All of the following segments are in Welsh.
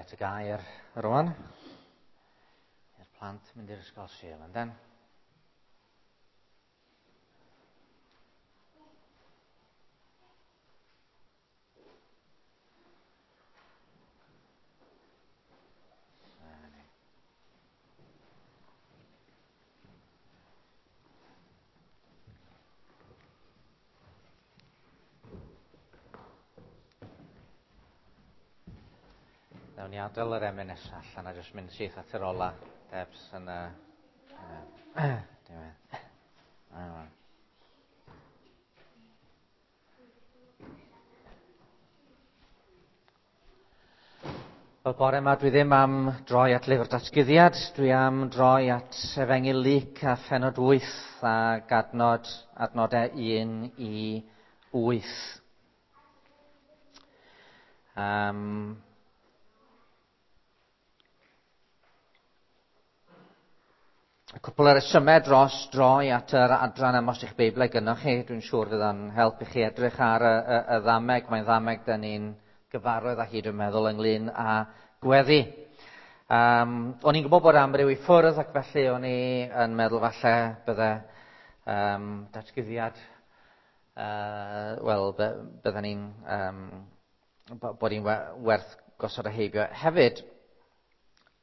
At y gair rwan. I'r plant mynd i'r ysgol Sul, ynden? Nawn ni adael yr emyn nesaf allan a jyst mynd syth at yr ola. Debs yn y... Diwedd. Wel, bore yma dwi ddim am droi at lyfr datguddiad, dwi am droi at Efengyl Luc a phenod 8 ac adnod, adnodau 1 i 8. Y cwpl o resymau dros droi at yr adran yma os ydych Beiblau gynnwch chi, dwi'n siŵr fydd o'n help i chi edrych ar y, y, y ddameg, mae'n ddameg dyn ni'n gyfarwydd â hi, dwi'n meddwl, ynglyn â gweddi. O'n i'n gwybod bod amryw i ffwrdd ac felly o'n i yn meddwl falle bydde datguddiad, wel, bydden ni'n, bod hi'n werth gosod y heibio. Hefyd,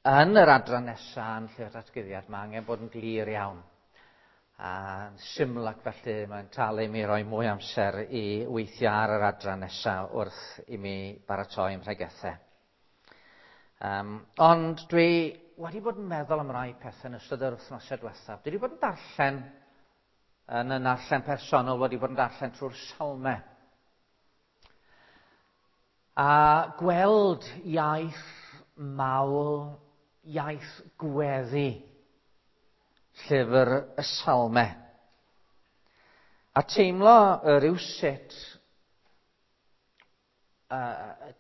yn yr adran nesaf yn lle'r datguddiad, mae angen bod yn glir iawn. A syml ac felly mae'n talu i mi roi mwy amser i weithio ar yr adran nesaf wrth i mi baratoi ym mhregethau. Ond dwi wedi bod yn meddwl am rai pethau yn ystod yr wythnosau diwethaf. Dwi wedi bod yn darllen, yn y narllen personol, wedi bod yn darllen trwy'r salmau. A gweld iaith mawl, iaith gweddi, llyfr y salmau. A teimlo rywsut,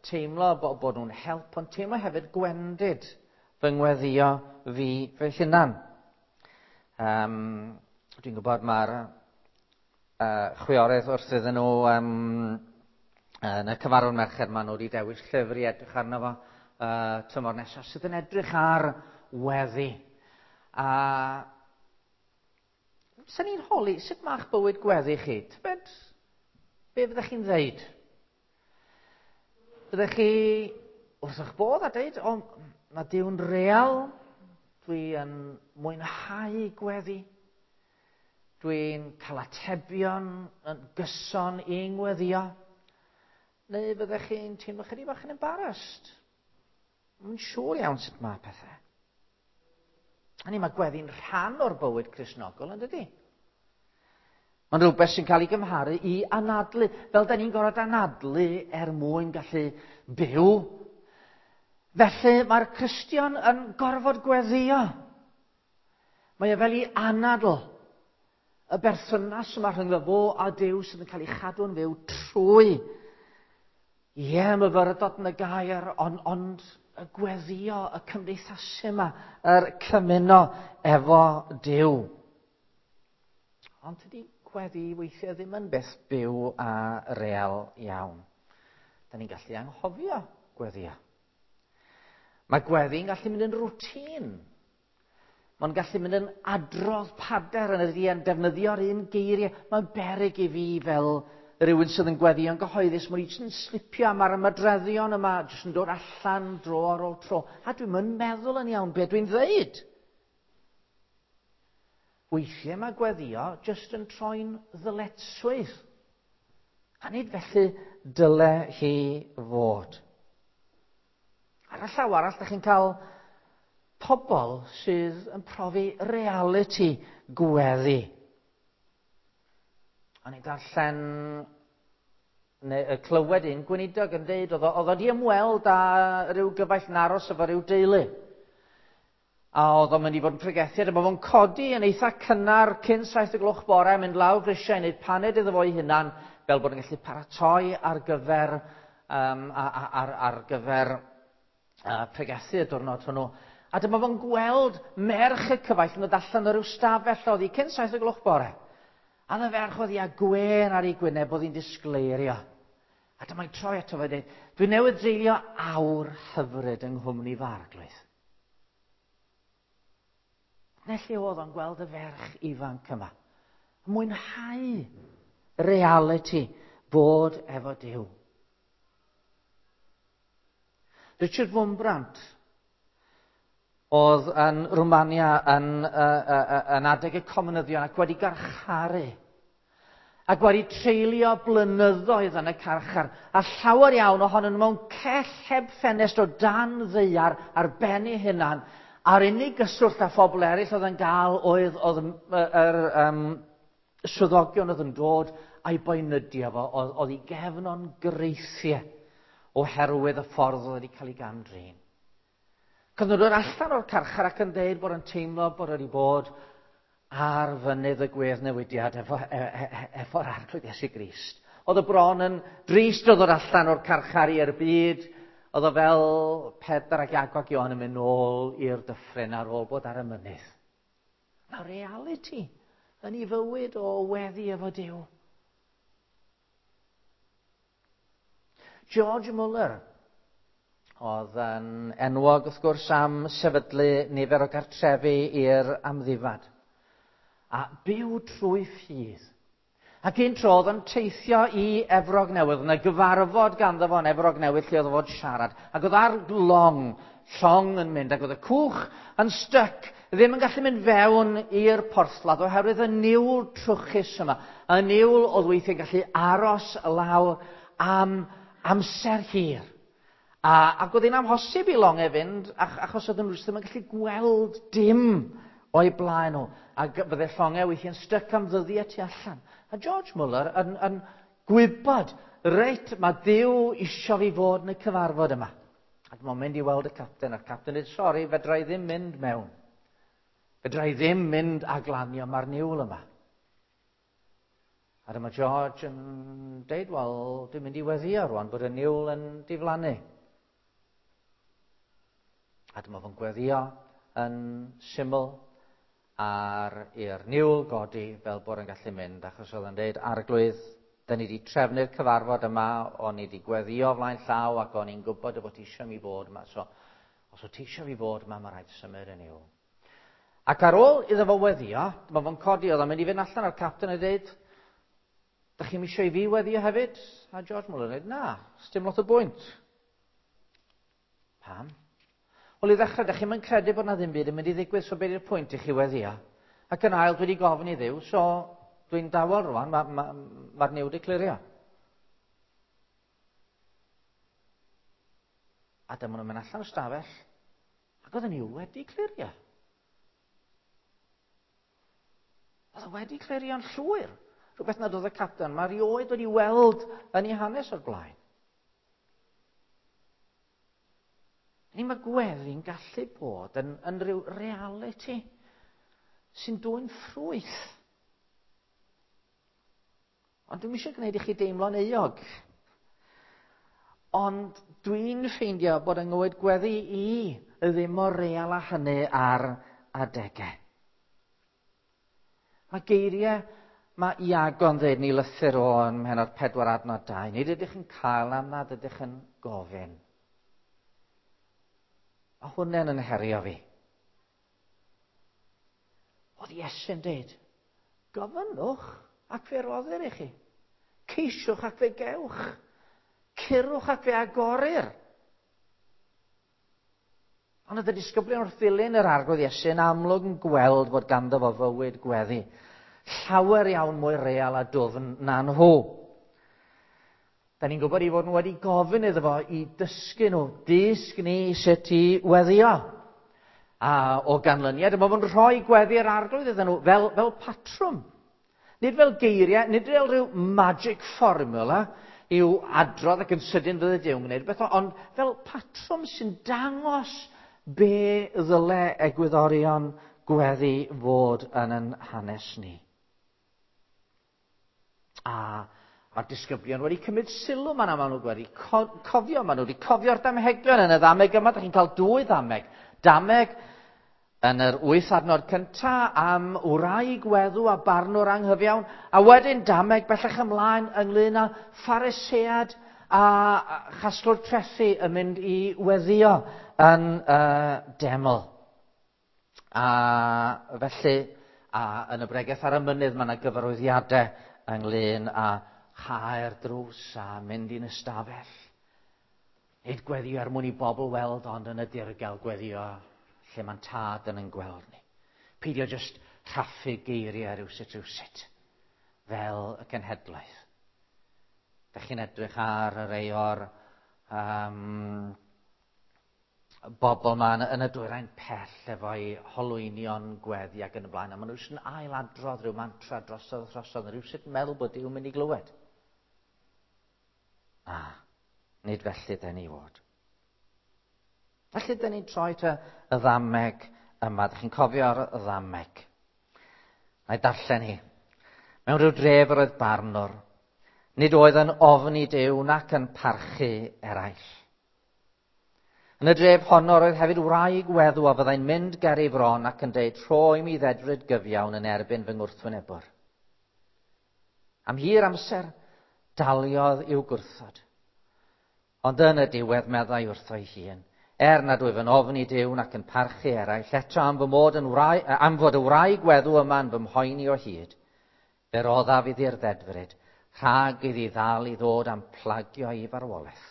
teimlo bod nhw'n help, ond teimlo hefyd gwendid fy ngweddio fi fy hunan. Dwi'n gwybod mae'r chwiorydd wrth iddyn nhw yn y cyfarfod merched, maen nhw wedi dewis llyfr i edrych arno fo tymor nesaf, sydd yn edrych ar weddi. A sy'n ni'n holi, sut mae'ch bywyd gweddi chi? Tybed, be fyddech chi'n ddeud? Fyddech chi wrth eich bodd a deud, o, mae Duw'n real, dwi yn mwynhau gweddi, dwi'n cael atebion yn gyson i ngweddio, neu fyddech chi'n teimlo chydig bach yn embarrassed? Mae'n siŵr iawn sut mae pethau. Hynny, mae gweddi'n rhan o'r bywyd Cristnogol, yn dydy? Mae'n rhywbeth sy'n cael ei gymharu i anadlu, fel da ni'n gorfod anadlu er mwyn gallu byw. Felly mae'r Cristion yn gorfod gweddio. Mae e fel i anadl. Y berthynas yma rhyngddo fo a Duw sydd yn cael ei chadw'n fyw trwy, ie, myfyrdod yn y gair, ond on y gweddio, y cymdeithasu yma, yr cymuno efo Duw. Ond tydi gweddi weithiau ddim yn beth byw a real iawn. Da ni'n gallu anghofio gweddio. Mae gweddi'n gallu mynd yn rwtîn. Mae'n gallu mynd yn adrodd pader yn y ddian, defnyddio'r un geiriau. Mae'n beryg i fi fel rhywun sydd yn gweddio'n gyhoeddus, mae'n jyst yn slipio am ar ymadroddion yma, jyst yn dod allan dro ar ôl tro. A dwi'n yn meddwl yn iawn beth dwi'n ddeud. Weithiau mae gweddio jyst yn troi'n ddyletswydd. A nid felly dyle hi fod. Ar y llaw arall, da chi'n cael pobl sydd yn profi reality gweddi. O'n i'n darllen, neu clywed un gweinidog yn deud, oedd o wedi ymweld â rhyw gyfaill yn aros efo rhyw deulu. A oedd o'n mynd i fod yn pregethu, a dyma fo'n codi yn eitha cynnar cyn 7 o'gloch bore, mynd lawr grisiau i wneud paned iddo fo'i hunan, fel bod yn gallu paratoi ar gyfer, ar gyfer pregethu y diwrnod hwnnw. A dyma fo'n gweld merch y cyfaill yn dod allan o ryw stafell oedd hi cyn 7 o'gloch bore. A y ferch oedd hi â gwên ar ei gwyneb, oedd hi'n disgleirio. A dyma'n troi ato fe a dweud, dwi newydd dreulio awr hyfryd yng nghwmni fy arglwydd. Dyna lle oedd o'n gweld y ferch ifanc yma. Mwynhau reality bod efo Duw. Richard Wurmbrand oedd yn Rwmania yn adeg y comunyddion ac wedi garcharu ac wedi treulio blynyddoedd yn y carchar, a llawer iawn ohonyn nhw mewn cell heb ffenest o dan ddaear ar ben ei hunan, a'r unig gyswllt â phobl eraill oedd yn gael oedd yr swyddogion oedd yn dod a'i boenydio fo, oedd ei gefn o'n greithiau oherwydd y ffordd oedd wedi cael ei gam-drin. Cyn nhw'n dod allan o'r carchar ac yn dweud bod yn teimlo bod wedi bod ar fynydd y gwedd newidiad efo'r Arglwydd Iesu Grist. Oedd y bron yn drist o ddod allan o'r carchar i'r byd. Oedd o fel Pedr ac Iago ac Ioan yn mynd nôl i'r dyffryn ar ôl bod ar y mynydd. Mae reality yn ei fywyd o weddi efo Duw. George Muller oedd yn enwog wrth gwrs am sefydlu nifer o gartrefi i'r amddifad. A byw trwy ffydd. Ac un tro oedd yn teithio i Efrog Newydd, yna gyfarfod ganddo fo yn Efrog Newydd lle oedd o fod siarad. Ac oedd ar long, llong yn mynd, ac oedd y cwch yn styc, ddim yn gallu mynd fewn i'r porthladd oherwydd y niwl trwchus yma. Y niwl oedd weithiau'n gallu aros lawr am amser hir. Ac oedd hi'n amhosib i longau fynd, achos oedden nhw ddim yn gallu gweld dim o'i blaen nhw. Ac bydde llongau weithiau'n styc am ddyddiau tu allan. A George Muller yn gwybod, reit, mae Duw isio fi fod yn y cyfarfod yma. Ac mae'n mynd i weld y capten, a'r capten dweud, sori, fedra i ddim mynd mewn. Fedra i ddim mynd a glanio, mae'r niwl yma. A dyma George yn deud, wel, dwi'n mynd i weddio rwan bod y niwl yn diflannu. A dyma fo'n gweddio yn syml ar i'r niwl godi fel bod yn gallu mynd, achos oedd yn deud, Arglwydd, da ni wedi trefnu'r cyfarfod yma, o'n i wedi gweddio flaen llaw ac o'n i'n gwybod y bod ti eisiau mi fod yma. So, os o ti eisiau fi fod yma, mae rhaid symud y niwl. Ac ar ôl iddo fo weddio, dyma fo'n codi, oedd o'n mynd i fynd allan a'r capten a dweud, da chi'n eisiau i fi weddio hefyd? A George Muller yn dweud, na, sdim lot o bwynt. Pam? Wel, i ddechrau, da chi'n mynd credu bod na ddim byd yn mynd i ddigwydd, so beth yw'r pwynt i chi weddio? Ac yn ail, dwi wedi gofyn i Dduw, so dwi'n dawel rwan, mae'r niwl wedi clirio. A dyma nhw'n mynd allan o'r stafell, ac oedd y niwl wedi clirio. Oedd o wedi clirio'n llwyr. Rhywbeth nad oedd y capten, mae rioed wedi weld yn ei hanes o'r blaen. Ni mae gweddi'n gallu bod yn rhyw reality sy'n dwyn ffrwyth. Ond dwi'm eisiau gwneud i chi deimlo'n euog. Ond dwi'n ffeindio bod yng ngywyd gweddi i ddim mor real â hynny ar adegau. Mae geiriau, mae Iago'n dweud ni lythyr o ym mhennod 4 adnod 2. Nid ydych yn cael am nad ydych yn gofyn. A hwnna'n yn herio fi. Oedd Iesu'n dweud, gofynnwch ac fe roddir i chi. Ceisiwch ac fe gewch. Curwch ac fe agorir. Ond oedd y disgyblion wrth ddilyn yr Arglwydd Iesu yn amlwg yn gweld bod ganddo fo fywyd gweddi. Llawer iawn mwy real a dwfn na nhw. Da ni'n gwybod i fod nhw wedi gofyn iddo fo i dysgu nhw, dysg ni sut i weddio. A o ganlyniad, mae fo'n rhoi gweddi'r Arglwydd iddyn nhw fel patrwm. Nid fel geiriau, nid fel rhyw magic formula i'w adrodd ac yn sydyn fydde Duw'n gwneud beth, ond fel patrwm sy'n dangos be ddyle egwyddorion gweddi fod yn ein hanes ni. A mae'r disgyblion wedi cymryd sylw, maen nhw wedi cofio, maen nhw wedi cofio'r damhegion yn y ddameg yma. Dych chi'n cael dwy ddameg. Dameg yn yr 8 adnod cynta am wraig weddw a barnwr anghyfiawn, a wedyn dameg bellach ymlaen ynglyn â Pharisead a chasglwr trethi yn mynd i weddio yn deml. A felly, a yn y bregeth ar y mynydd, mae yna gyfarwyddiadau ynglyn â chau'r drws a mynd i'n ystafell. Nid gweddio er mwyn i bobl weld, ond yn y dirgel gweddio lle mae'n tad yn ein gweld ni. Peidio jyst rhaffu geiriau rhywsut rhywsut, fel y cenhedlaeth. Dych chi'n edrych ar y rei o'r bobl yma yn y dwyrain pell efo'i holwynion gweddi ac yn y blaen, a maen nhw jyst yn ailadrodd rhyw mantra drosodd a throsodd, a rhywsut yn meddwl bod Duw'n mynd i glywed. Na, nid felly dyn ni fod. Felly dyn ni'n troi at y ddameg yma. Dych chi'n cofio'r ddameg? Na i darllen hi. Mewn rhyw dref yr oedd barnwr. Nid oedd yn ofni Duw nac yn parchu eraill. Yn y dref honno roedd hefyd wraig weddw a fyddai'n mynd ger ei fron ac yn deud, rho i mi ddedfryd gyfiawn yn erbyn fy ngwrthwynebwr. Am hir amser, daliodd i'w gwrthod. Ond yn y diwedd meddai wrtho'i hun, er nad wyf yn ofni Duw nac yn parchu eraill, eto am fy mod yn wraig, am fod y wraig weddw yma yn fy mhoeni o hyd, fe roddaf iddi'r ddedfryd, rhag iddi ddal i ddod am plagio i farwolaeth.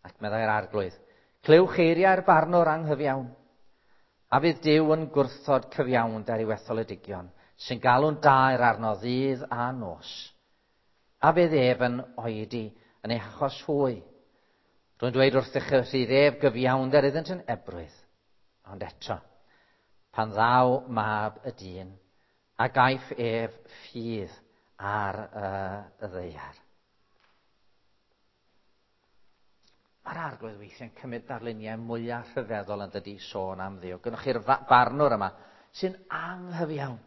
Ac meddai'r Arglwydd, clywch eiriau'r barnwr anghyfiawn, a fydd Duw yn gwrthod cyfiawnder i'w etholedigion, sy'n galw'n daer arno ddydd a nos. A fydd ef yn oedi yn ei hachos hwy. Rwy'n dweud wrthych y rhydd ef gyfiawnder iddynt yn ebrwydd. Ond eto, pan ddaw mab y dyn, a gaiff ef ffydd ar y ddaear. Mae'r Arglwydd weithiau'n cymryd darluniau mwyaf rhyfeddol yn dydi sôn am Dduw. Gynnwch chi'r barnwr yma sy'n anghyfiawn.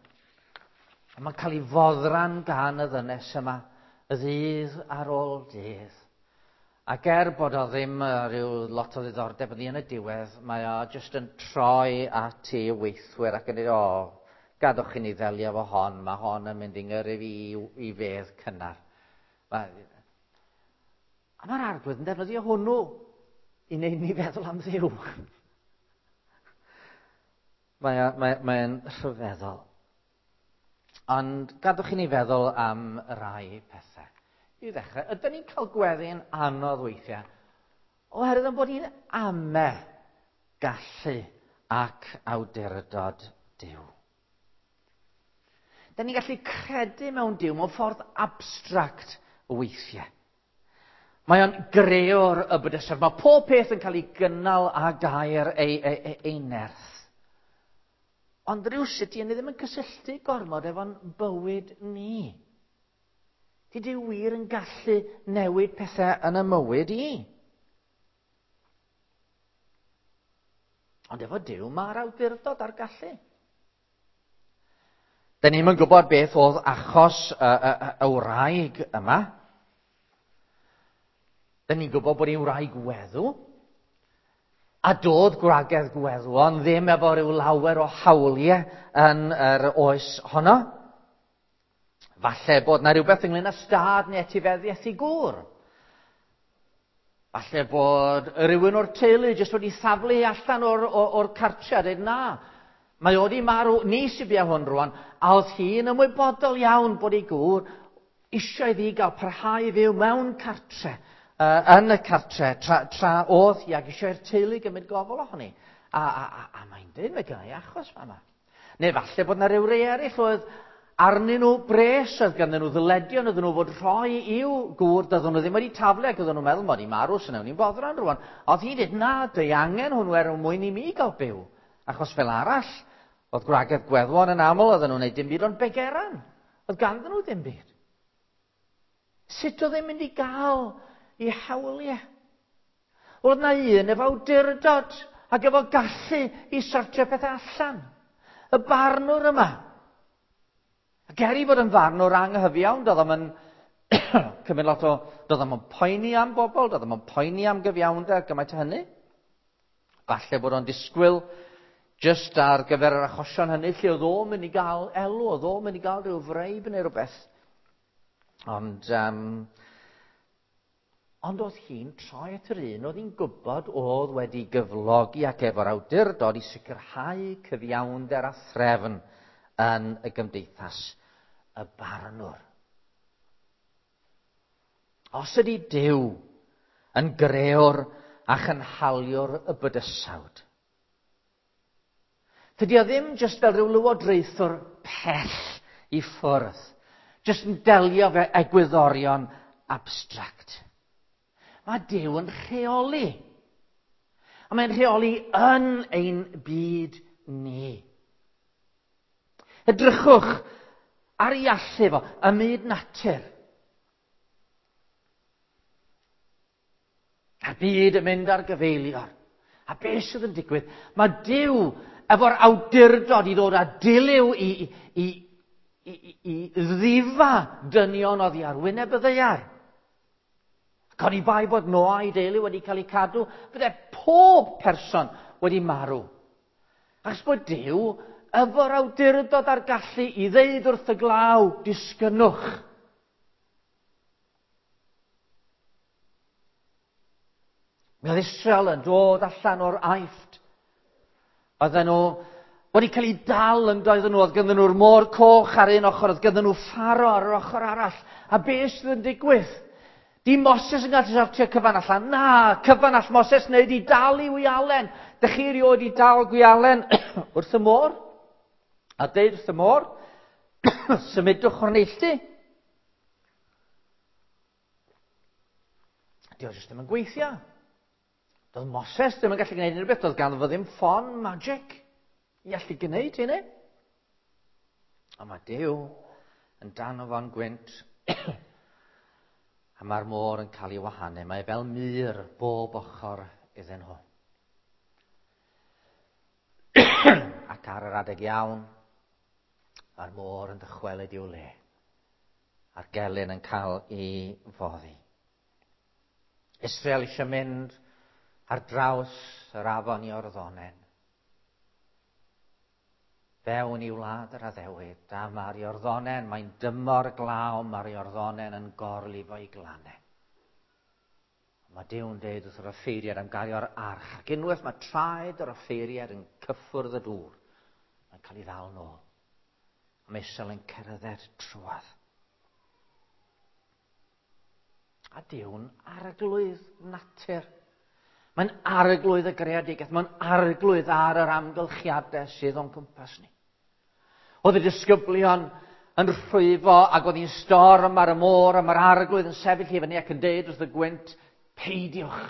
A mae'n cael ei foddran gan y ddynes yma y ddydd ar ôl dydd. Ac er bod o ddim rhyw lot o ddiddordeb ynddi yn y diwedd, mae o jyst yn troi at ei weithwyr ac yn dweud, o, gadwch i ni ddelio efo hon, mae hon yn mynd i ngyrru fi i fedd cynnar. A mae'r Arglwydd yn defnyddio hwnnw i wneud ni feddwl am Dduw. Mae'n rhyfeddol. Ond gadwch i ni feddwl am rai pethau. I ddechrau, ydyn ni'n cael gweddi'n anodd weithiau oherwydd yn bod ni'n ame gallu ac awdurdod Duw. Dyn ni'n gallu credu mewn Duw mewn ffordd abstract weithiau. Mae o'n greor y bydysawd. Mae pob peth yn cael ei gynnal a gair ei nerth. Ond rhywsut, ni ddim yn cysylltu gormod efo'n bywyd ni. Di Duw wir yn gallu newid pethau yn y mywyd i. Ond efo Duw mae'r awdurdod a'r gallu. Dyn ni'm yn gwybod beth oedd achos y wraig yma. Dyn ni'n gwybod bod hi'n wraig weddw. A doedd gwragedd gweddwon ddim efo rhyw lawer o hawliau yn yr oes honno. Falle bod na rhywbeth ynglyn â stad neu etifeddiaeth i gŵr. Falle bod rhywun o'r teulu jyst wedi thaflu allan o'r cartre a dweud na, mae o wedi marw, ni sy'n bia hwn rwan, a oedd hi'n ymwybodol iawn bod ei gŵr eisiau iddi gael parhau i fyw mewn cartre, yn y cartre, tra oedd hi ac eisiau i'r teulu gymryd gofal ohoni. A mae'n dweud, mae gennau achos fama. Neu falle bod na ryw rei eraill oedd arnyn nhw bres, oedd ganddyn nhw ddyledion, oedden nhw fod rhoi i'w gŵr, doedden nhw ddim wedi taflu ac oedden nhw'n meddwl, mod i marw, sy'n newn ni'n boddran rwan. Oedd hi'n dweud, na, dwi angen hwnnw er mwyn i mi gael byw. Achos fel arall, oedd gwragedd gweddwon yn aml, oedden nhw'n gwneud dim byd ond begeran. Oedd ganddyn nhw ddim byd. Sut oedd e'n mynd i gael i hawliau? Oedd na un efo awdurdod ac efo gallu i sortio pethau allan. Y barnwr yma. Ac er i fod yn farnwr anghyfiawn, doedd o'm yn cymryd lot o... Doedd o'm yn poeni am bobl, doedd o'm yn poeni am gyfiawnder gymaint o hynny. Falle bod o'n disgwyl jyst ar gyfer yr achosion hynny lle oedd o'n mynd i gael elw, oedd o'n mynd i gael rhyw freib neu rhywbeth. Ond Ond oedd hi'n troi at yr un oedd hi'n gwybod oedd wedi gyflogi ac efo'r awdurdod i sicrhau cyfiawnder a threfn yn y gymdeithas, y barnwr. Os ydy Duw yn greor a chynhaliwr y bydysawd, tydy o ddim jyst fel rhyw lywodraethwr pell i ffwrdd, jyst yn delio fe egwyddorion abstract. Mae Duw yn rheoli. A mae'n rheoli yn ein byd ni. Edrychwch ar ei allu fo ym myd natur. A'r byd yn mynd ar gyfeilior. A beth sydd yn digwydd? Mae Duw efo'r awdurdod i ddod â dilyw i, i, i, i, i ddifa dynion oddi ar wyneb y ddaear. Ac oni bai bod Noa a'i deulu wedi cael eu cadw, bydde pob person wedi marw. Achos bod Duw efo'r awdurdod a'r gallu i ddeud wrth y glaw, disgynnwch. Mi oedd Israel yn dod allan o'r Aifft. Oedden nhw wedi cael eu dal yn doedden nhw, oedd ganddyn nhw'r môr coch ar un ochr, oedd ganddyn nhw Pharo ar yr ochr arall. A beth sydd yn digwydd? Di Moses yn gallu sortio cyfan allan. Na, cyfan all Moses wneud i dal i wialen. Dych chi erioed i dal gwialen wrth y môr? A deud wrth y môr, symudwch o'r neilltu. Di o jyst ddim yn gweithio. Doedd Moses ddim yn gallu gwneud unrhyw beth, doedd ganddo fo ddim ffon magic i allu gwneud hynny. A mae Duw yn dan o fo'n gwynt a mae'r môr yn cael ei wahanu. Mae fel mur bob ochr iddyn nhw. Ac ar yr adeg iawn, mae'r môr yn dychwelyd i'w le. A'r gelyn yn cael ei foddi. Israel eisiau mynd ar draws yr afon Iorddonen. Fewn i wlad yr addewid, a mae'r Iorddonen, mae'n dymor glaw, mae'r Iorddonen yn gorlifo i glannau. Mae Duw'n deud wrth yr offeiriad am gario'r arch, ac unwaith mae traed yr offeiriad yn cyffwrdd y dŵr, mae'n cael ei ddal nôl. A mae Israel yn cerdded trwodd. A Duw'n arglwydd natur. Mae'n arglwydd y greadigaeth, mae'n arglwydd ar yr amgylchiadau sydd o'n cwmpas ni. Oedd y disgyblion yn rhwyfo ac oedd hi'n storm ar y môr a mae'r arglwydd yn sefyll i fyny ac yn deud wrth y gwynt, peidiwch.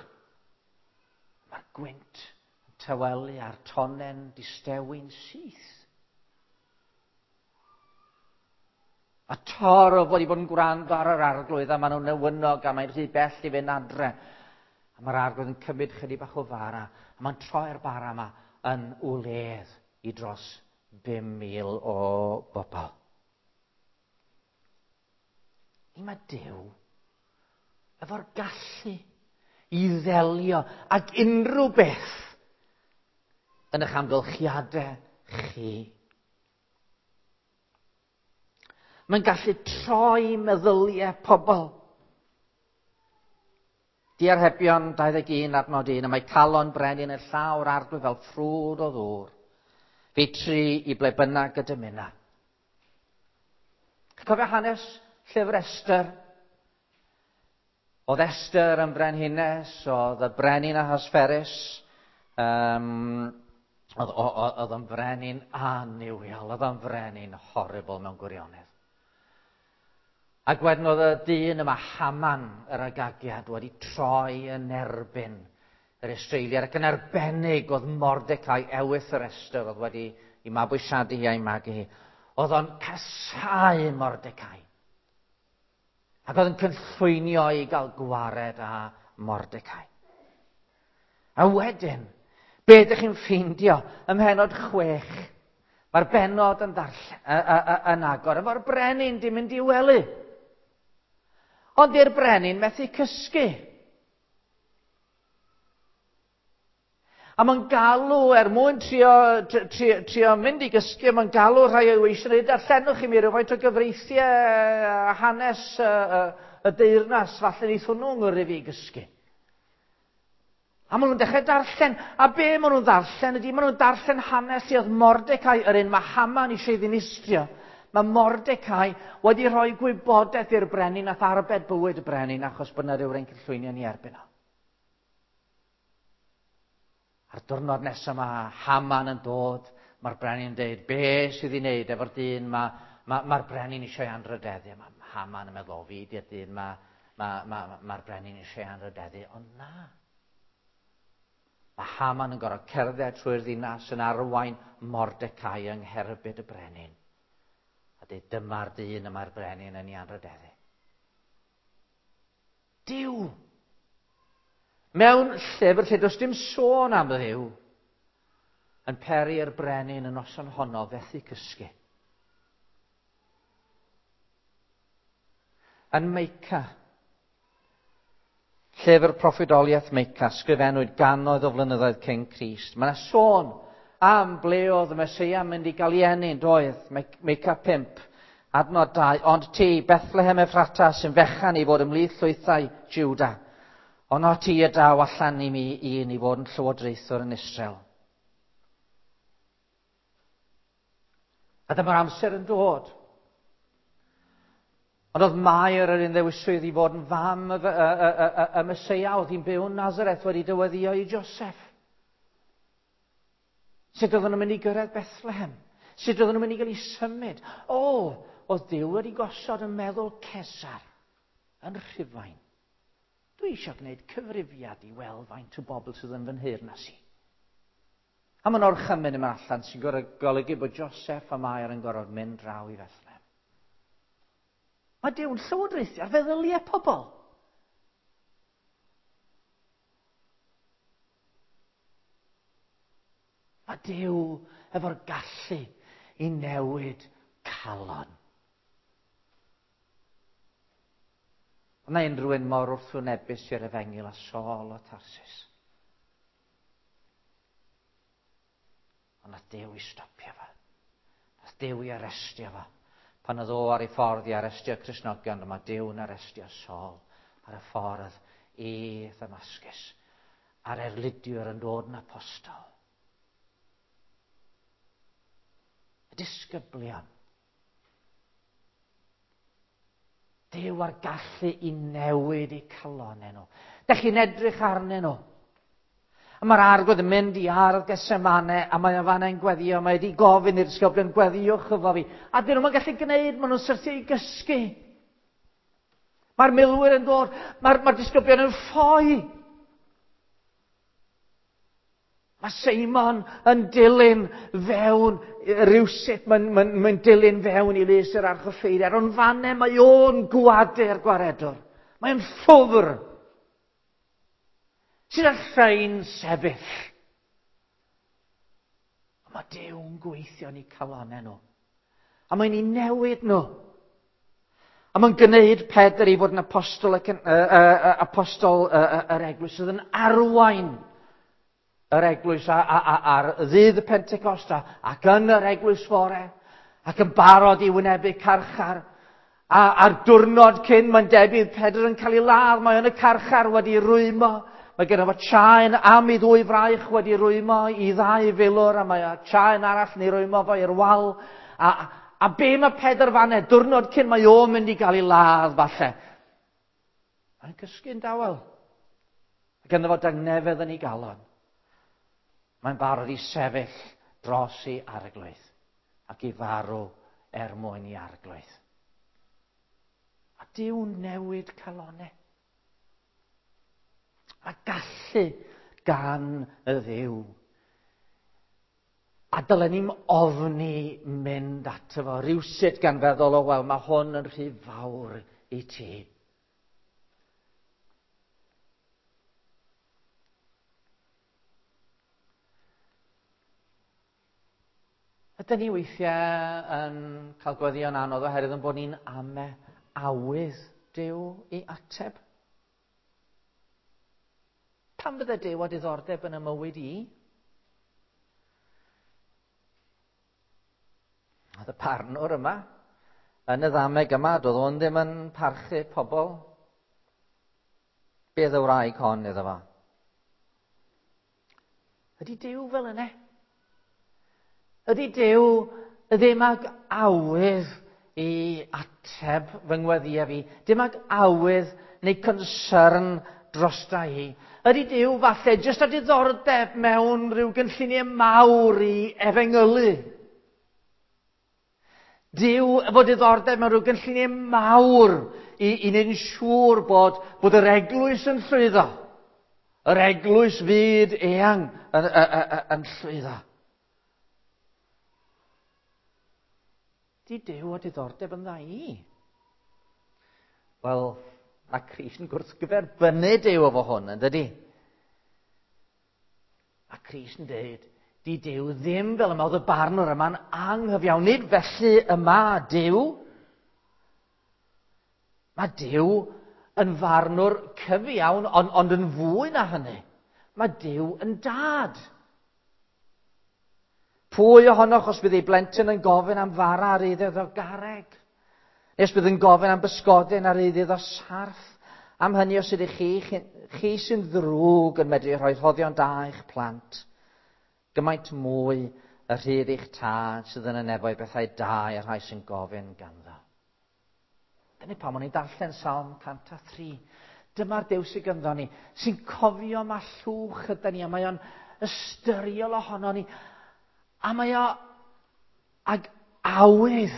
Mae'r gwynt yn tawelu a'r tonnen distewi'n syth. A torf wedi bod yn gwrando ar yr arglwydd a maen nhw'n newynog a mae'n rhy bell i fynd adre. A mae'r arglwydd yn cymryd chydig bach o fara a mae'n troi'r bara yma yn wledd i dros 5,000 o bobl. I mae Duw efo'r gallu i ddelio ag unrhyw beth yn eich amgylchiadau chi. Mae'n gallu troi meddyliau pobl. Diarhebion 21 adnod 1, a mae calon brenin y llawr arglwydd fel ffrwd o ddŵr. Fe tri i ble bynnag y dymuna. Cofio hanes llyfr Esther? Oedd Esther yn frenhines, oedd y brenin Ahasferus, um, oedd, oedd yn frenin annuwiol, oedd yn frenin horrible mewn gwirionedd. Ac wedyn oedd y dyn yma, Haman, yr Agagiad, wedi troi yn erbyn yr Israeliad, ac yn arbennig oedd Mordecai, ewyth yr Esther, oedd wedi i mabwysiadu hi a'i magu hi. Oedd o'n casáu Mordecai. Ac oedd yn cynllwynio i gael gwared â Mordecai. A wedyn, be ydych chi'n ffeindio ym mhenod 6? Mae'r benod yn, darllen, yn agor, efo'r brenin di mynd i wely. Ond di'r brenin methu cysgu. A mae'n galw, er mwyn trio, trio, trio mynd i gysgu, mae'n galw rhai o'i weision i darllenwch i mi rhywfaint o gyfreithiau a hanes y, y, y deyrnas, falle neith hwnnw ngyrru fi gysgu. A maen nhw'n dechrau darllen. A be maen nhw'n ddarllen ydy, maen nhw'n darllen hanes i oedd Mordecai, yr un mae Haman eisiau ei ddinistrio. Mae Mordecai wedi rhoi gwybodaeth i'r brenin nath arbed bywyd y brenin achos bod yna rhywun cynllwynio ni erbyn o. A'r diwrnod nesaf mae Haman yn dod, mae'r brenin yn dweud, be sydd i wneud efo'r dyn mae'r ma, ma, brenin eisiau anrhydeddu. Mae Haman yn meddwl, o fi di'r dyn mae'r ma, ma, ma, ma brenin eisiau anrhydeddu. Ond na. Mae Haman yn gorfod cerdded trwy'r ddinas yn arwain Mordecai yng ngherbyd y brenin. A dweud, dyma'r dyn y mae'r brenin yn ei anrhydeddu. Duw! Mewn llyfr lle does dim sôn am Dduw, yn peri i'r brenin y noson honno fethu cysgu. Yn Meica, llyfr proffwydoliaeth Meica, sgrifennwyd gannoedd o flynyddoedd cyn Crist. Mae yna sôn am ble oedd y Meseia yn mynd i gael ei eni, doedd? Meica 5, adnod 2. Ond ti, Bethlehem Ephrata, sy'n fechan i fod ymhlith llwythau Juda. Ond o ti y daw allan i mi un i fod yn llywodraethwr yn Israel. A dyma'r amser yn dod. Ond oedd Mair yr un ddewiswyd i fod yn fam y, y, y, y, y Meseia, oedd hi'n byw yn Nazareth wedi dyweddio i Joseph. Sut oedden nhw'n mynd i gyrraedd Bethlehem? Sut oedden nhw'n mynd i gael eu symud? O, oedd Duw wedi gosod yn meddwl Cesar yn Rhufain. Dwi eisiau gwneud cyfrifiad i weld faint o bobl sydd yn fy nheyrnas i. A mae'n orchymyn yma allan sy'n golygu bod Joseph a Mair yn gorfod mynd draw i Bethlehem. Mae Duw'n llywodraethu ar feddyliau pobl. Mae Duw efo'r gallu i newid calon. Ond mae unrhyw un mor wrthwynebus i'r efengyl a Saul o Tarsus. Ond nath Duw i stopio fo. Nath Duw i arestio fo. Pan oedd o ar ei ffordd i arestio Cristnogion, dyma Duw'n arestio Saul ar y ffordd i Ddamascus. A'r erlidiwr yn dod yn apostol. Y disgyblion. Duw ar gallu i newid eu calonau nhw. Dych chi'n edrych arnyn nhw. A mae'r arglwydd yn mynd i ardd Gethsemane, a mae o fanna'n gweddio, mae wedi gofyn i'r disgyblion, gweddiwch efo fi. A dyn nhw'n gallu gwneud, maen nhw'n syrthio i gysgu. Mae'r milwyr yn dod, mae'r mae disgyblion yn ffoi. Mae Seimon yn dilyn fewn rhywsut, mae'n mae, mae dilyn fewn i lys yr archoffeiriad, ond fanne mae o'n gwadu'r gwaredwr. Mae'n ffwfr. Sydd â rhain sefyll. A mae Duw'n gweithio yn eu calonau nhw. A mae'n ei newid nhw. A mae'n gwneud Pedr i fod yn apostol, ac, apostol yr eglwys sydd yn arwain yr eglwys ar ddydd y Pentecosta ac yn yr eglwys fore ac yn barod i wynebu carchar. A a'r diwrnod cyn mae'n debyg Pedr yn cael ei ladd, mae yn y carchar wedi rwymo. Mae gen fo chaen am ei ddwy fraich wedi rwymo i ddau filwr, a mae chaen arall yn ei rwymo fo i'r wal. A, a be mae Pedr fanne, diwrnod cyn mae o'n mynd i gael ei ladd falle. Mae'n cysgu'n dawel. Mae gynno fo dangnefedd yn ei galon. Mae'n barod i sefyll dros ei arglwydd ac i farw er mwyn i arglwydd. A Duw'n newid calonau. A gallu gan y Dduw. A dylen ni'm ofni mynd ato fo rhywsut gan feddwl, o wel, mae hwn yn rhy fawr i ti. Ydyn ni weithiau yn cael gweddïo'n anodd oherwydd yn bod ni'n ame awydd Duw i ateb? Pam fydde Duw â diddordeb yn y mywyd i? Oedd y parnwr yma, yn y ddameg yma, doedd o'n ddim yn parchu pobl. Beth y wraig hon iddo fo? Ydy Duw fel yna? Ydy Duw ddim ag awydd i ateb fy ngweddïau fi, dim ag awydd neu concern drosta i? Ydy Duw falle jyst â diddordeb mewn rhyw gynlluniau mawr i efengylu? Duw efo diddordeb mewn rhyw gynlluniau mawr i wneud yn siŵr bod yr eglwys yn llwyddo. Yr eglwys fyd eang yn llwyddo. Di Duw o diddordeb yn dda i? Wel, mae Crist yn gwrthgyferbynnu Duw efo hwn, yn dydi? Mae Crist yn dweud, di Duw ddim fel yma, oedd y barnwr yma'n anghyfiawn. Nid felly yma Duw. Mae Duw yn farnwr cyfiawn, ond yn fwy na hynny. Mae Duw yn dad. Pwy ohonoch os bydd ei blentyn yn gofyn am fara ar ei iddo garreg? Neu os bydd yn gofyn am bysgodyn ar ei iddo sarff? Am hynny os ydych chi sy'n ddrwg yn medru rhoi rhoddion da i'ch plant, gymaint mwy y rhydd eich tad sydd yn y nefoedd bethau da i'r rhai sy'n gofyn ganddo. Dyna pam o'n i'n darllen Salm 103. Dyma'r Duw sydd ganddo ni, sy'n cofio ma llwch yda ni, a mae o'n ystyriol ohono ni, a mae o ag awydd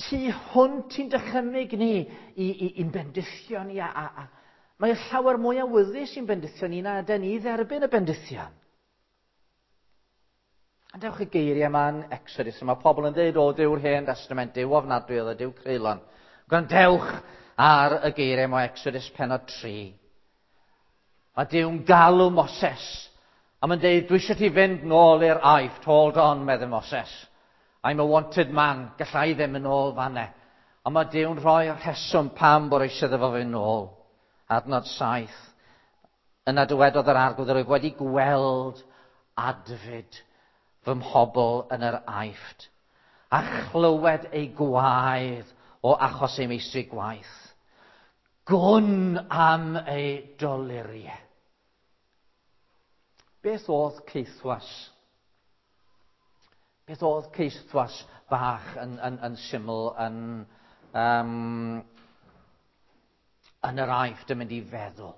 tu hwnt i'n dychymyg ni, i'n bendithio ni, a mae o llawer mwy awyddus i'n bendithio ni na yden ni dderbyn y bendithion. A dewch y geiriau yma yn Exodus, mae pobl yn dweud, o, Duw'r Hen Testament, Duw ofnadwy oedd y Duw creulon. Gwrandewch ar y geiriau yma o Exodus pennod 3. Mae Duw'n galw Moses, a mae'n dweud, dwi eisiau ti fynd nôl i'r Aifft, hold on, meddai Moses. I'm a wanted man, gallai ddim yn ôl fanne. Ond mae Duw'n rhoi'r rheswm pam bod eisiau iddo fo fynd nôl. Adnod 7. Yna dywedodd yr Arglwydd, yr wyf wedi gweld adfyd fy mhobl yn yr Aifft, a chlywed ei gwaedd o achos ei meistri gwaith. Gwn am ei doluriau. Beth oedd caethwas? Beth oedd caethwas bach yn syml yn yr Aifft yn mynd i feddwl?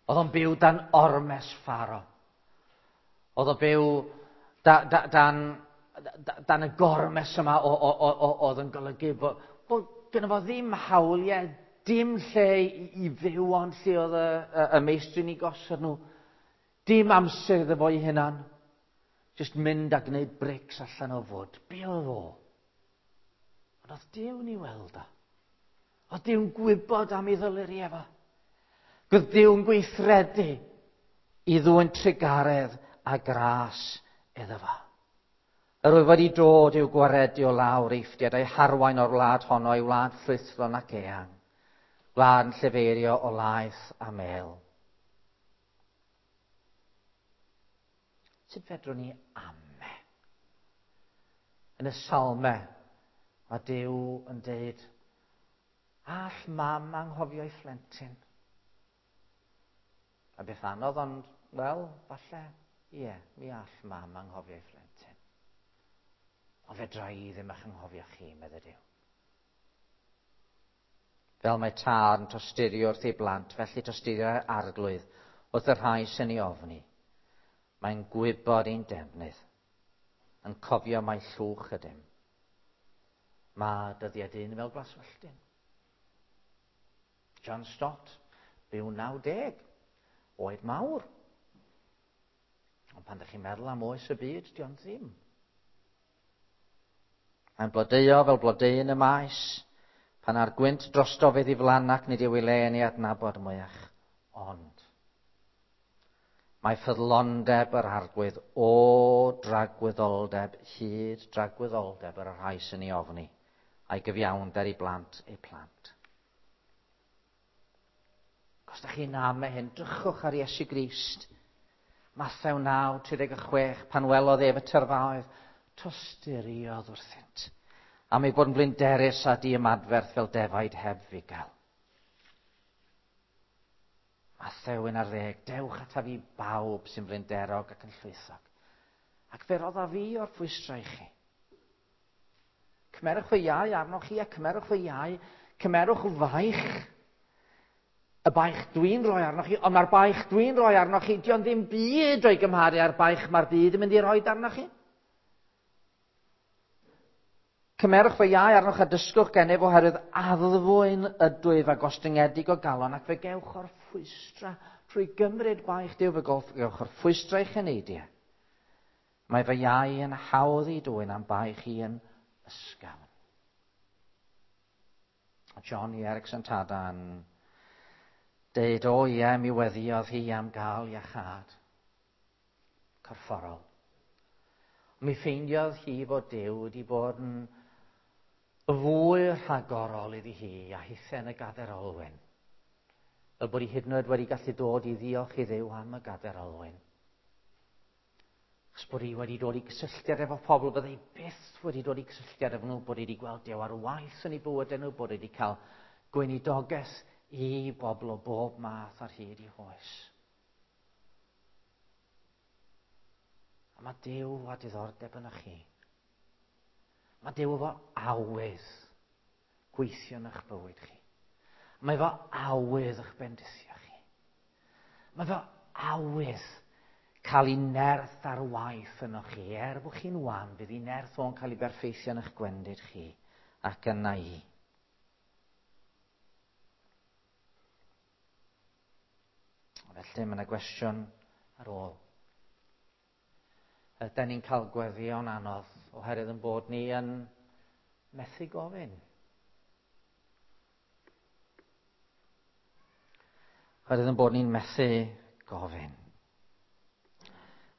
Oedd o'n byw dan ormes Pharaoh. Oedd o'n byw dan y gormes yma oedd yn golygu bod gynno fo ddim hawliau, dim lle i fyw ond lle oedd y meistri ni gosod nhw. Dim amser iddo fo ei hunan. Just mynd a gwneud brics allan o fwd. Be oedd o? Ond oedd Duw'n ei weld o. Oedd Duw'n gwybod am ei ddoluri efo. Oedd Duw'n gweithredu i ddwyn trugaredd a gras iddo fo. Yr oedd wedi dod i'w gwaredu o lawr Eifftiaid a'i harwain o'r wlad honno i wlad ffrwythlon ac eang, wlad yn llefeirio o laeth a mel. Sut fedrwn ni ame? Yn y Salme, mae Duw yn deud, all mam anghofio ei phlentyn? A beth anodd, ond, wel, falle, ie, mi all mam anghofio ei phlentyn. Ond fedra i ddim eich anghofio chi, meddai Duw. Fel mae tad yn tosturio wrth ei blant, felly tosturia'r Arglwydd wrth y rhai sy'n ei ofni. Mae'n gwybod ein defnydd, yn cofio mai llwch ydym. Mae dyddiau dyn fel glaswelltyn. John Stott, byw 90, oed mawr. Ond pan ydych chi'n meddwl am oes y byd, di o'n ddim. Mae'n blodeuo fel blodeuyn y maes, pan ar gwynt drosto fe ddiflan ac nid yw ei le yn ei adnabod mwyach. Ond mae ffyddlondeb yr Arglwydd o dragwyddoldeb hyd dragwyddoldeb yr rhai sy'n ei ofni, a'i gyfiawnder i blant eu plant. Os ydych chi'n ame hyn, drychwch ar Iesu Grist. Mathew 9:36, pan welodd ef y tyrfaoedd, tosturiodd wrthynt, am ei bod yn blinderus a diymadferth fel defaid heb fugail. Mathew 11, dewch ataf i bawb sy'n flinderog ac yn llwythog. Ac fe rodda fi o'r ffwystrau i chi. Cymerwch fy iau arnoch chi a cymerwch fy iau, cymerwch faich. Y baich dwi'n rhoi arnoch chi, ond mae'r baich dwi'n rhoi arnoch chi, dio'n ddim byd o'i gymharu â'r baich mae'r byd yn mynd i roi arnoch chi. Cymerwch fy iau arnoch a dysgwch gennyf oherwydd addfwyn ydwyf a gostyngedig o galon ac fe gewch o'r ffwystra trwy gymryd baich Duw fe gewch o'r ffwystra i'ch eneidiau. Mae fy iau yn hawdd i dwyn am baich i yn ysgafn. Johnny Erickson Tada yn deud, o ie, mi weddiodd hi am gael iachâd corfforol. Mi ffeindiodd hi fod Duw wedi bod yn fwy rhagorol iddi hi a hithe yn y gader olwyn. Fel bod hi hyd yn oed wedi gallu dod i ddiolch i Dduw am y gader olwyn. Achos bod hi wedi dod i gysylltiad efo pobl, byddai byth wedi dod i gysylltiad efo nhw, bod hi wedi gweld Duw ar waith yn ei bywydau nhw, bod hi wedi cael gweinidogaeth i bobl o bob math ar hyd i hoes. A mae Duw â diddordeb yn chi. Mae Duw efo awydd gweithio yn eich bywyd chi. Mae efo awydd eich bendithio chi. Mae efo awydd cael ei nerth ar waith yno chi. Er bod chi'n wan, bydd ei nerth o'n cael ei berffeithio yn eich gwendid chi ac yna i. Felly mae yna gwestiwn ar ôl. Ydy ni'n cael gweddïo'n anodd oherwydd yn bod ni yn methu gofyn? Oherwydd yn bod ni'n methu gofyn.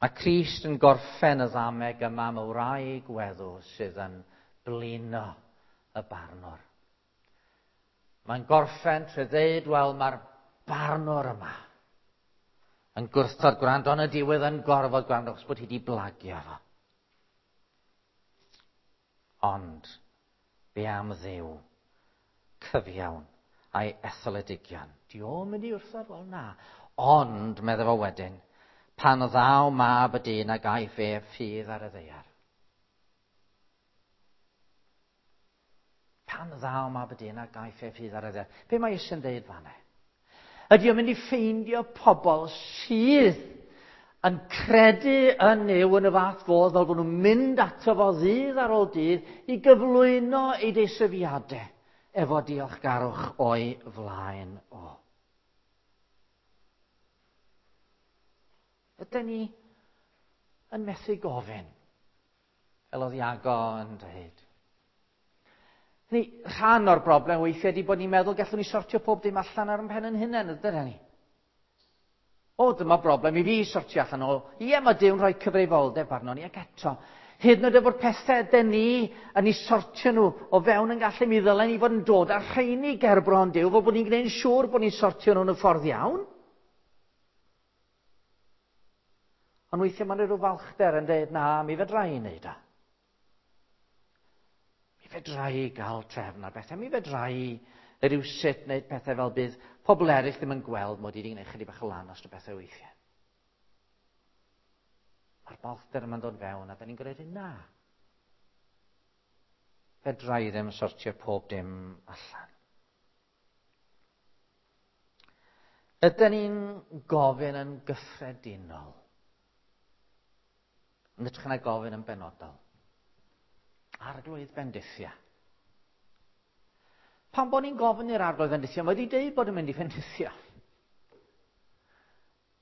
Mae Crist yn gorffen y ddameg yma am y wraig weddw sydd yn blino y barnwr. Mae'n gorffen trwy ddeud, wel, mae'r barnwr yma yn gwrthod gwrando, ond y diwedd yn gorfod gwrando, achos bod hi wedi blagio fo. Ond, be am Dduw cyfiawn a'i etholedigion? Di o'n mynd i wrthod? Wel, na. Ond, medde fo wedyn, pan ddaw mab y dyn a gaiff ef ffydd ar y ddaear. Pan ddaw mab y dyn a gaiff ef ffydd ar y ddaear. Be mae Iesu'n dweud fan'na? Ydy o'n mynd i ffeindio pobl sydd yn credu yn Nuw yn y fath fodd fel bod nhw'n mynd ato fo ddydd ar ôl dydd i gyflwyno ei deisyfiadau efo diolchgarwch o'i flaen o. Ydyn ni yn methu gofyn, fel oedd Iago yn dweud. Ni, rhan o'r broblem weithiau ydy bod ni'n meddwl gallwn ni sortio pob dim allan ar ein pen yn hunain, ydyn ni? O, dyma broblem i fi sortio allan o. Ie, mae Duw'n rhoi cyfrifoldeb arno ni, ac eto, hyd yn oed efo'r pethau ydyn ni yn ei sortio nhw o fewn yn gallu, mi ddylen ni fod yn dod â'r rheini gerbron Duw, fel bod ni'n gwneud yn siŵr bod ni'n sortio nhw yn y ffordd iawn. Ond weithiau mae'n rhyw falchder yn dweud, na, mi fedra i wneud o. Mi fedra i gael trefn ar bethau, mi fedra i rywsut wneud pethau fel bydd pobl eraill ddim yn gweld mod i wedi gwneud chydig bach o lan os o bethau weithiau. Mae'r balchder yma'n dod fewn a da ni'n gwneud na. Fedra i ddim sortio pob dim allan. Ydyn ni'n gofyn yn gyffredinol? Yn hytrach na gofyn yn benodol. Arglwydd bendithia. Pan bod ni'n gofyn i'r arglwydd bendithia, mae wedi deud bod yn mynd i fendithio.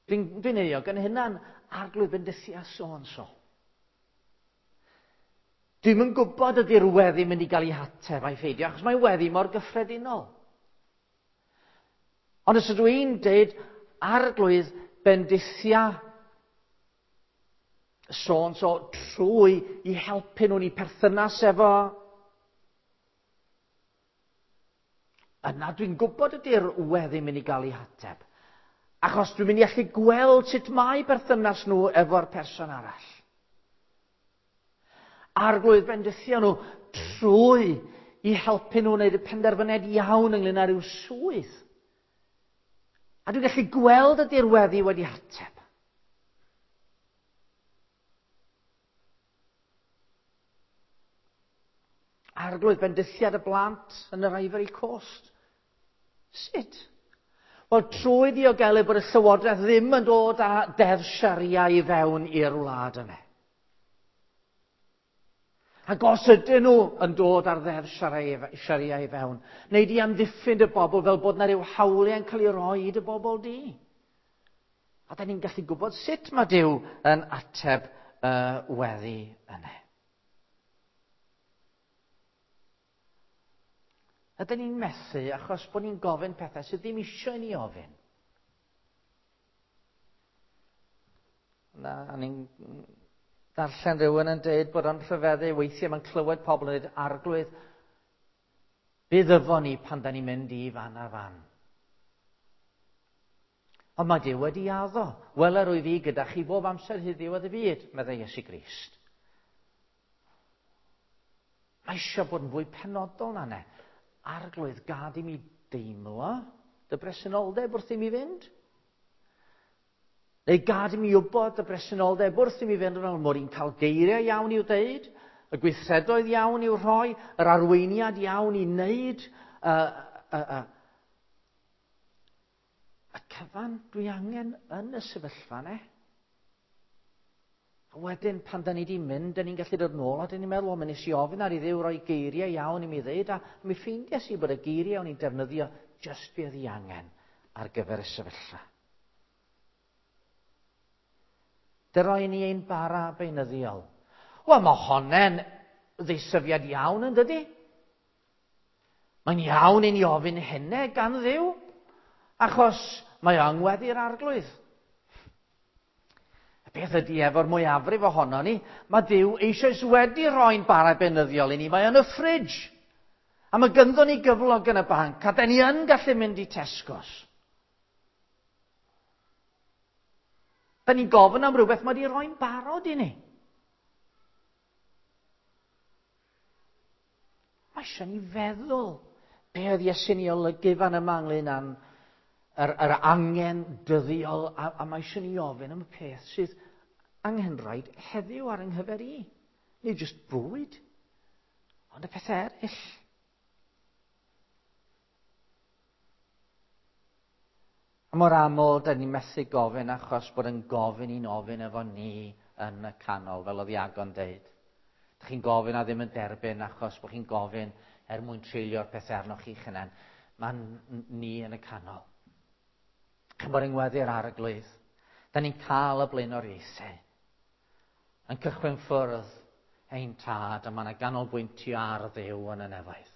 Dwi'n dwi euog yn hynna'n arglwydd bendithia so and so. Dwi'm yn gwybod ydy'r weddi mynd i gael ei hateb a'i pheidio, achos mae weddi mor gyffredinol. Ond os ydw i'n deud arglwydd bendithia so and so trwy i helpu nhw'n eu perthynas efo, yna dwi'n gwybod ydy'r weddi mynd i gael ei hateb. Achos dwi'n mynd i allu gweld sut mae perthynas nhw efo'r person arall. Arglwydd bendithio nhw trwy i helpu nhw wneud y penderfyniad iawn ynglyn â rhyw swydd. A dwi'n gallu gweld ydy'r weddi wedi ateb. Arglwydd, bendithiad y blant yn yr Ivory Coast. Sut? Wel, trwy ddiogelu bod y Llywodraeth ddim yn dod â deddf Sharia i fewn i'r wlad yna. Ac os ydyn nhw yn dod ar ddeddf Sharia i fewn, neu di amddiffyn y bobl fel bod na ryw hawliau'n cael ei roi i dy bobl di. A da ni'n gallu gwybod sut mae Duw yn ateb y weddi yna. Ydyn ni'n methu achos bod ni'n gofyn pethau sydd ddim eisiau i ni ofyn. Na, ni'n darllen rhywun yn dweud bod o'n rhyfeddu weithiau mae'n clywed pobl yn dweud, Arglwydd, bydd efo ni pan da ni'n mynd i fan a fan. Ond mae Duw wedi addo, wel yr wyf fi gyda chi bob amser hyd ddiwedd y byd, meddai Iesu Grist. Mae eisiau bod yn fwy penodol na ne. Arglwydd, gad i mi deimlo dy bresenoldeb wrth i mi fynd. Neu gad i mi wybod dy bresenoldeb wrth i mi fynd yn ôl, mod i'n cael geiriau iawn i'w deud, y gweithredoedd iawn i'w rhoi, yr arweiniad iawn i wneud, y cyfan dwi angen yn y sefyllfa ne. A wedyn, pan da ni wedi mynd, da ni'n gallu dod nôl, a da ni'n meddwl, o, mi nes i ofyn ar i Dduw roi geiriau iawn i mi ddeud, a mi ffeindiais i bod y geiriau o'n i'n defnyddio just be oedd i angen ar gyfer y sefyllfa. Dyroi ni ein bara beunyddiol. Wel, mae honne'n ddeisyfiad iawn yn dydy? Mae'n iawn i ni ofyn hynny gan Dduw, achos mae o'n ngweddi'r Arglwydd. Y beth ydy efo'r mwyafrif ohono ni, mae Duw eisoes wedi rhoi'n bara beunyddiol i ni, mae yn y ffridge. A mae gynddo ni gyflog yn y banc, a da ni yn gallu mynd i Tesco's. Da ni'n gofyn am rhywbeth mae wedi rhoi'n barod i ni. Mae eisiau ni feddwl be oedd Iesu'n ei olygu fan yma ynglyn â'n yr angen dyddiol, a mae eisiau ni ofyn am y peth sydd anghenraid heddiw ar yng nghyfer i. Nid jyst bwyd, ond y pethau eraill. A mor aml, da ni'n methu gofyn achos bod yn gofyn i'n ofyn efo ni yn y canol, fel oedd Iago'n deud. Dych chi'n gofyn a ddim yn derbyn achos bod chi'n gofyn er mwyn treulio'r pethau arnoch chi'ch hunain. Mae'n ni yn y canol. Chymod yng ngweddi'r Arglwydd. Da ni'n cael y blaenoriaethau. Yn cychwyn ffwrdd ein tad, a mae yna ganolbwyntio ar Dduw yn y nefoedd.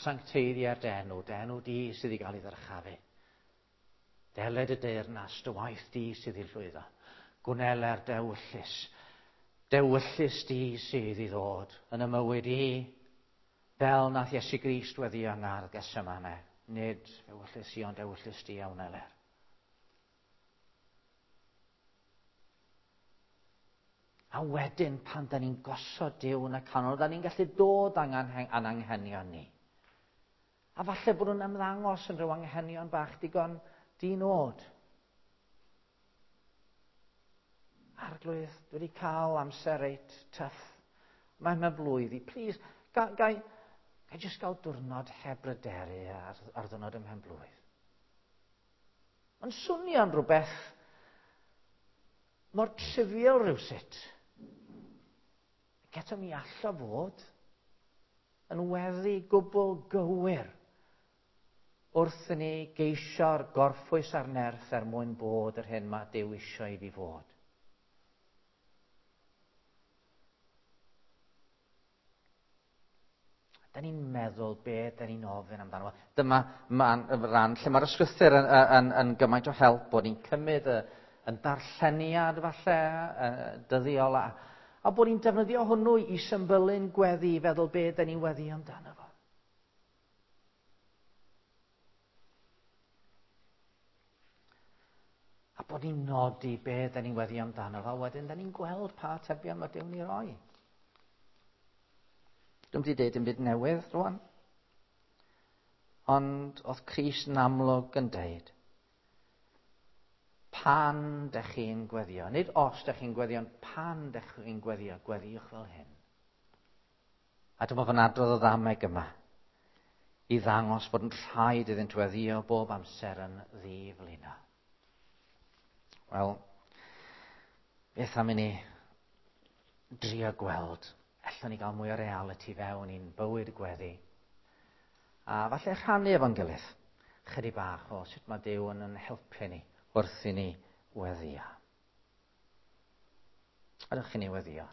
Sancteiddia'r dy enw, dy enw di sydd i gael ei ddyrchafu. Deled y deyrnas, dy waith di sydd i llwyddo. Gwneler dewyllys. Dewyllys di sydd i ddod yn y mywyd i. Fel nath Iesu Grist weddi yng ngardd Gethsemane. Nid ewyllys i, ond ewyllys di a wneler. A wedyn, pan da ni'n gosod Duw yn y canol, da ni'n gallu dod â'n anghenion ni. A falle bod nhw'n ymddangos yn rhyw anghenion bach digon di-nod. Arglwydd, dwi wedi cael amser reit tough. Mae'n mewn blwydd i. Please, ga i jyst gael diwrnod heb bryderu ar ddiwrnod ym mhen blwydd. Mae'n swnio'n rhywbeth mor trivial rhywsut. Ac eto mi allo fod yn weddi gwbl gywir wrth i ni geisio'r gorffwys a'r nerth er mwyn bod yr hyn mae Duw eisiau i fi fod. Da ni'n meddwl be da ni'n ofyn amdano. Dyma ran lle mae'r ysgrythur yn gymaint o help bod ni'n cymryd yn darlleniad falle, dyddiol, a bod ni'n defnyddio hwnnw i symbylu'n gweddi, i feddwl be da ni'n weddi amdano fo. A bod ni'n nodi be da ni'n weddi amdano fo, wedyn da ni'n gweld pa atebion mae Duw'n ei roi. Dwi'm wedi deud dim byd newydd rwan. Ond oedd Crist yn amlwg yn deud, Pan dych chi'n gweddio, nid os dych chi'n gweddio, ond pan dych chi'n gweddio, gweddiwch fel hyn. A dyma fo'n adrodd o ddameg yma i ddangos bod yn rhaid iddynt weddio bob amser yn ddiflino. Wel, beth am i ni drio gweld, allwn ni gael mwy o reality fewn i'n bywyd gweddi. A falle rhannu efo'n gilydd chydig bach o sut mae Duw yn yn helpu ni wrth i ni weddio. Ydych chi'n ni weddio?